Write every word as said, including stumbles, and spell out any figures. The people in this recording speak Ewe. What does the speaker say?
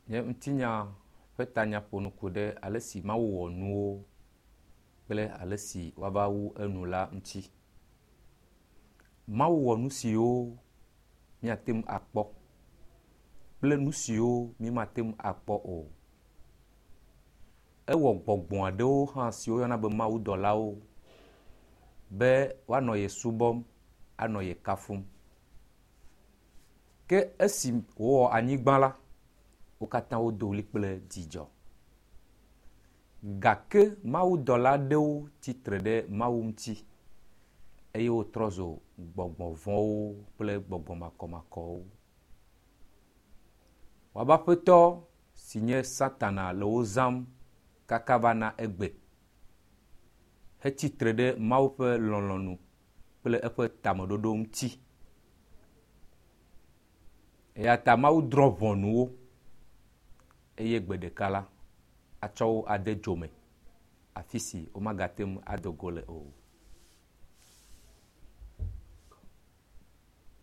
Nye ŋutinya ƒe tanya ƒo nu ku ɖe ale si Mawu wɔ nuwo kple ale si woava wu enu la ŋuti. Mawu wɔ nu siwo míate ŋu akpɔ kple nu siwo mímate ŋu akpɔ o. Ewɔ gbɔgbɔ aɖewo hã si woyɔna be mawudɔlawo be woanɔ ye subɔm anɔ ye kafum. Ke esi wòwɔ anyigba la, wo katã wodo ʋli kple dzidzɔ. Gake mawudɔla aɖewo tsitre ɖe Mawu ŋuti eye wotrɔ zu gbɔgbɔ vɔ̃wo kple gbɔgbɔ makɔmakɔwo. Woabe aƒetɔ si nye Satana le wo zãm kaka va na egbe hetsitre ɖe Mawu ƒe lɔlɔ̃nu kple eƒe tameɖoɖo ŋuti. Eya ta Mawu drɔ̃ ʋɔnu wo eye gbe ɖeka la, atsɔ wo ade dzo me afi si womagate ŋu ado go le o.